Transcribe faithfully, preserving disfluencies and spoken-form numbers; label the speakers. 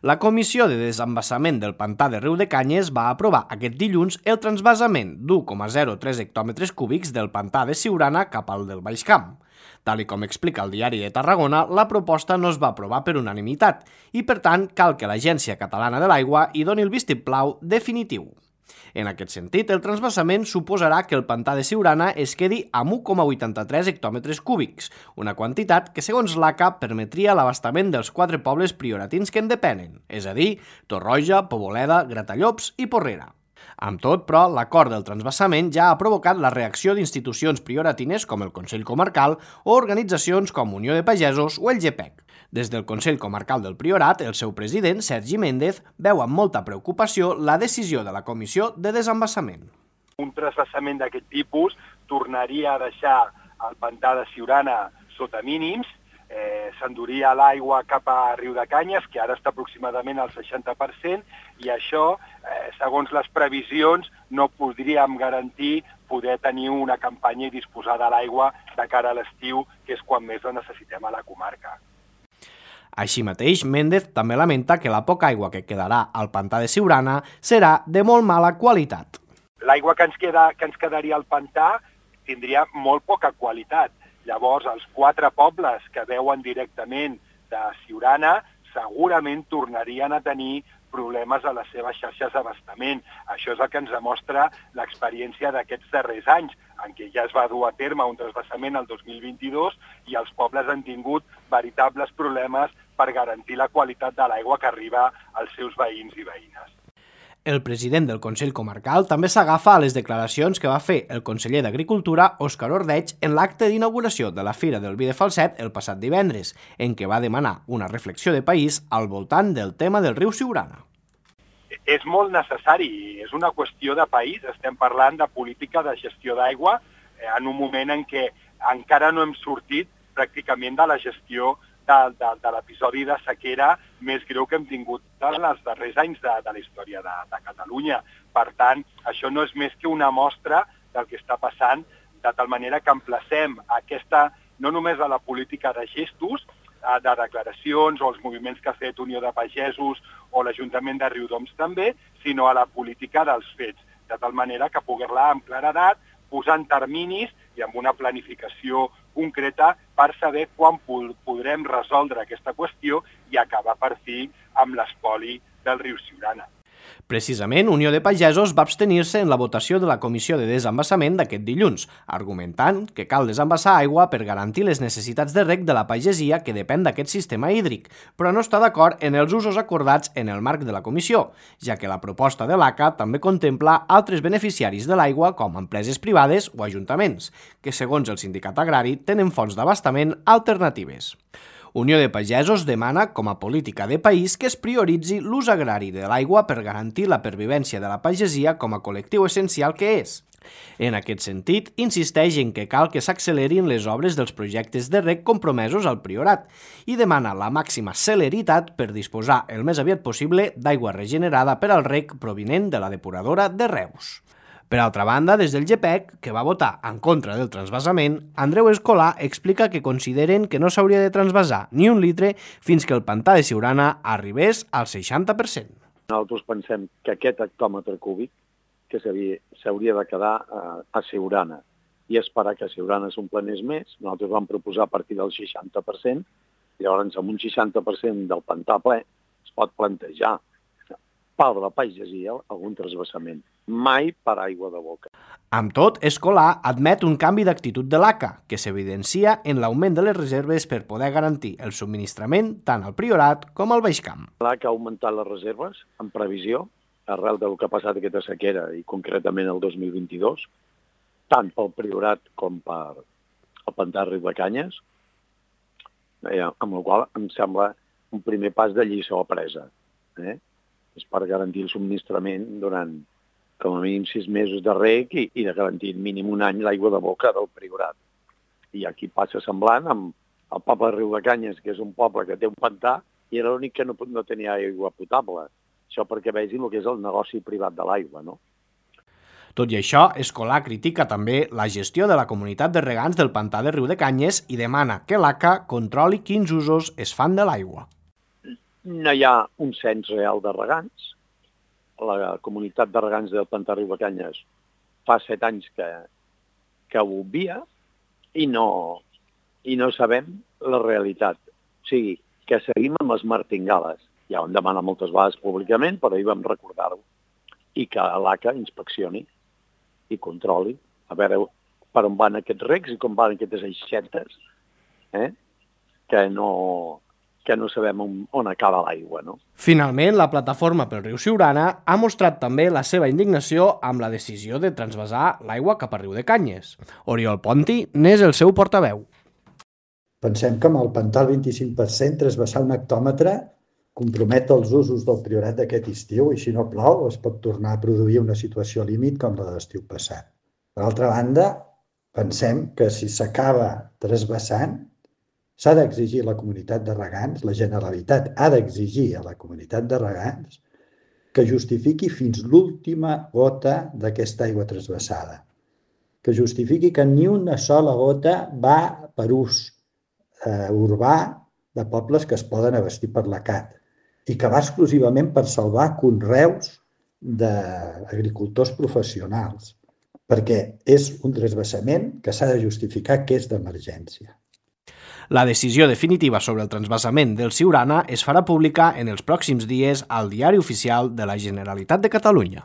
Speaker 1: La Comissió de Desembassament del Pantà de Riu de Canyes va aprovar aquest dilluns el transvasament d'u coma zero tres hectòmetres cúbics del pantà de Siurana cap al del Baix Camp. Tal i com explica el Diari de Tarragona, la proposta no es va aprovar per unanimitat i, per tant, cal que l'Agència Catalana de l'Aigua hi doni el vistiplau definitiu. En aquest sentit, el transvasament suposarà que el pantà de Siurana es quedi amb u coma vuitanta-tres hectòmetres cúbics, una quantitat que, segons l'A C A, permetria l'abastament dels quatre pobles prioratins que en depenen, és a dir, Torroja, Poboleda, Gratallops i Porrera. Amb tot, però, l'acord del transvasament ja ha provocat la reacció d'institucions prioratines com el Consell Comarcal o organitzacions com Unió de Pagesos o el G P E C. Des del Consell Comarcal del Priorat, el seu president, Sergi Méndez, veu amb molta preocupació la decisió de la Comissió de Desembassament.
Speaker 2: Un transvasament d'aquest tipus tornaria a deixar el pantà de Siurana sota mínims, eh, s'enduria l'aigua cap a Riu de Canyes, que ara està aproximadament al seixanta per cent, i això, eh, segons les previsions, no podríem garantir poder tenir una campanya i disposar de l'aigua de cara a l'estiu, que és quan més la necessitem a la comarca.
Speaker 1: Així mateix, Méndez també lamenta que la poca aigua que quedarà al pantà de Siurana serà de molt mala qualitat.
Speaker 2: L'aigua que ens queda, que ens quedaria al pantà tindria molt poca qualitat. Llavors, els quatre pobles que veuen directament de Siurana segurament tornarien a tenir problemes a les seves xarxes d'abastament. Això és el que ens demostra l'experiència d'aquests darrers anys, en què ja es va dur a terme un transvasament el dos mil vint-i-dos i els pobles han tingut veritables problemes per garantir la qualitat de l'aigua que arriba als seus veïns i veïnes.
Speaker 1: El president del Consell Comarcal també s'agafa a les declaracions que va fer el conseller d'Agricultura, Òscar Ordeig, en l'acte d'inauguració de la Fira del Vi de Falset el passat divendres, en què va demanar una reflexió de país al voltant del tema del riu Siurana.
Speaker 2: És molt necessari, és una qüestió de país, estem parlant de política de gestió d'aigua en un moment en què encara no hem sortit pràcticament de la gestió de, de, de l'episodi de sequera més greu que hem tingut en els darrers anys de, de la història de, de Catalunya. Per tant, això no és més que una mostra del que està passant, de tal manera que emplacem aquesta, no només a la política de gestos, de declaracions o els moviments que ha fet Unió de Pagesos o l'Ajuntament de Riudoms també, sinó a la política dels fets, de tal manera que poder-la amb claredat, posant terminis i amb una planificació concreta per saber quan podrem resoldre aquesta qüestió i acabar per fi amb l'espoli del riu Siurana.
Speaker 1: Precisament, Unió de Pagesos va abstenir-se en la votació de la Comissió de Desembassament d'aquest dilluns, argumentant que cal desembassar aigua per garantir les necessitats de reg de la pagesia que depèn d'aquest sistema hídric, però no està d'acord en els usos acordats en el marc de la comissió, ja que la proposta de l'A C A també contempla altres beneficiaris de l'aigua com empreses privades o ajuntaments, que segons el sindicat agrari tenen fonts d'abastament alternatives. Unió de Pagesos demana, com a política de país, que es prioritzi l'ús agrari de l'aigua per garantir la pervivència de la pagesia com a col·lectiu essencial que és. En aquest sentit, insisteix en que cal que s'accelerin les obres dels projectes de reg compromesos al Priorat i demana la màxima celeritat per disposar el més aviat possible d'aigua regenerada per al reg provinent de la depuradora de Reus. Per altra banda, des del G P E C, que va votar en contra del transvasament, Andreu Escolà explica que consideren que no s'hauria de transvasar ni un litre fins que el pantà de Siurana arribés al seixanta per cent.
Speaker 3: Nosaltres pensem que aquest hectòmetre cúbic que s'hauria de quedar a Siurana i esperar que Siurana s'omplenés més. Nosaltres vam proposar a partir del seixanta per cent, i llavors amb un seixanta per cent del pantà ple es pot plantejar per la pagesia algun transvasament, mai per aigua de boca.
Speaker 1: Amb tot, Escolà admet un canvi d'actitud de l'A C A, que s'evidencia en l'augment de les reserves per poder garantir el subministrament tant al Priorat com al Baix Camp.
Speaker 3: L'A C A ha augmentat les reserves en previsió, arrel del que ha passat aquesta sequera i concretament el dos mil vint-i-dos, tant pel Priorat com per el pantà Riu de Canyes, amb la qual em sembla un primer pas de lliçó apresa. Eh? És per garantir el subministrament durant com a mínim sis mesos de reg i, i de garantir mínim un any l'aigua de boca del Priorat. I aquí passa semblant amb el poble de Riu de Canyes, que és un poble que té un pantà i era l'únic que no, no tenia aigua potable. Això perquè vegin el que és el negoci privat de l'aigua, no?
Speaker 1: Tot i això, Escolà critica també la gestió de la comunitat de regants del pantà de Riu de Canyes i demana que l'A C A controli quins usos es fan de l'aigua.
Speaker 3: no hi ha un cens real de regants. La comunitat de regants del pantà Riudecanyes fa set anys que, que ho obvia i no, i no sabem la realitat. O sigui, que seguim amb les martingales. Ja ho hem demanat moltes vegades públicament, però ahir vam recordar-ho. I que l'A C A inspeccioni i controli a veure per on van aquests recs i com van aquestes aixetes, eh? que, no, que no sabem on, on acaba l'aigua, no?
Speaker 1: Finalment, la plataforma pel riu Siurana ha mostrat també la seva indignació amb la decisió de transvasar l'aigua cap a Riudecanyes. Oriol Ponti n'és el seu portaveu.
Speaker 4: Pensem que amb el pantà al vint-i-cinc per cent transvasar un hectòmetre compromet els usos del Priorat d'aquest estiu i si no plou es pot tornar a produir una situació límit com la de l'estiu passat. Per altra banda, pensem que si s'acaba transvasant s'ha d'exigir a la comunitat de regants, la Generalitat ha d'exigir a la comunitat de regants que justifiqui fins l'última gota d'aquesta aigua transvasada, que justifiqui que ni una sola gota va per ús eh, urbà de pobles que es poden abastir per la C A T i que va exclusivament per salvar conreus d'agricultors professionals, perquè és un transvasament que s'ha de justificar que és d'emergència.
Speaker 1: La decisió definitiva sobre el transvasament del Siurana es farà pública en els pròxims dies al Diari Oficial de la Generalitat de Catalunya.